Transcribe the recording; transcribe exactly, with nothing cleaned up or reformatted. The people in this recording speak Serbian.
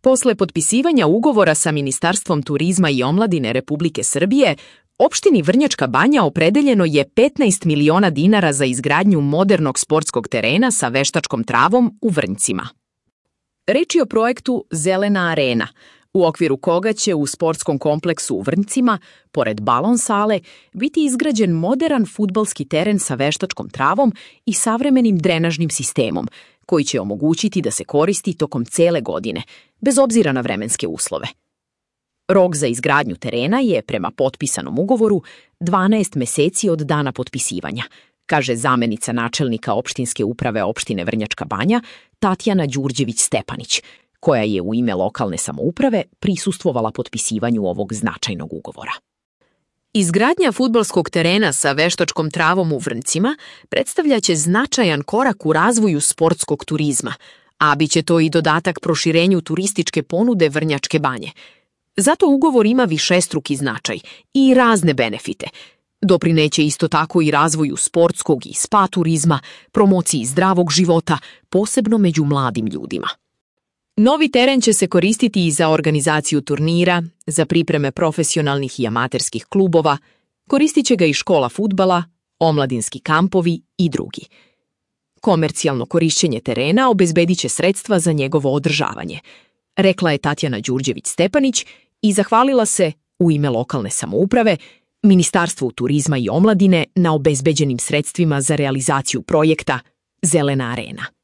Posle potpisivanja ugovora sa Ministarstvom turizma i omladine Republike Srbije, opštini Vrnjačka Banja opredeljeno je petnaest miliona dinara za izgradnju modernog sportskog terena sa veštačkom travom u Vrnjcima. Reč je o projektu Zelena arena, u okviru koga će u sportskom kompleksu u Vrnjcima, pored balon sale, biti izgrađen moderan fudbalski teren sa veštačkom travom i savremenim drenažnim sistemom, koji će omogućiti da se koristi tokom cele godine, bez obzira na vremenske uslove. Rok za izgradnju terena je, prema potpisanom ugovoru, dvanaest meseci od dana potpisivanja, kaže zamenica načelnika opštinske uprave opštine Vrnjačka Banja Tatjana Đurđević-Stepanić, koja je u ime lokalne samouprave prisustvovala potpisivanju ovog značajnog ugovora. Izgradnja fudbalskog terena sa veštačkom travom u Vrnjcima predstavljaće značajan korak u razvoju sportskog turizma, a biće to i dodatak proširenju turističke ponude Vrnjačke Banje. Zato ugovor ima višestruki značaj i razne benefite. Doprineće isto tako i razvoju sportskog i spa turizma, promociji zdravog života, posebno među mladim ljudima. Novi teren će se koristiti i za organizaciju turnira, za pripreme profesionalnih i amaterskih klubova, koristit će ga i škola fudbala, omladinski kampovi i drugi. Komercijalno korišćenje terena obezbedit će sredstva za njegovo održavanje, rekla je Tatjana Đurđević-Stepanić i zahvalila se, u ime lokalne samouprave, Ministarstvu turizma i omladine na obezbeđenim sredstvima za realizaciju projekta Zelena arena.